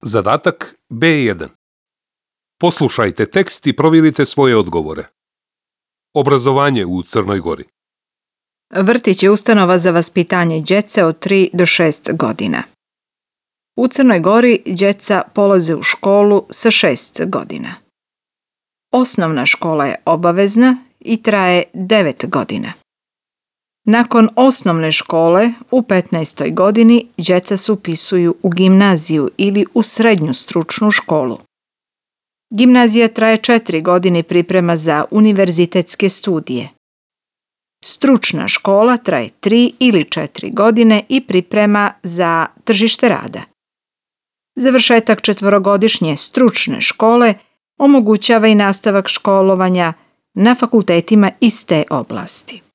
Zadatak B1. Poslušajte tekst i provjerite svoje odgovore. Obrazovanje u Crnoj Gori. Vrtić je ustanova za vaspitanje djece od 3 do 6 godina. U Crnoj Gori djeca polaze u školu sa 6 godina. Osnovna škola je obavezna i traje 9 godina. Nakon osnovne škole u 15. godini djeca se upisuju u gimnaziju ili u srednju stručnu školu. Gimnazija traje 4 godine i priprema za univerzitetske studije. Stručna škola traje 3 ili 4 godine i priprema za tržište rada. Završetak 4-godišnje stručne škole omogućava i nastavak školovanja na fakultetima iz te oblasti.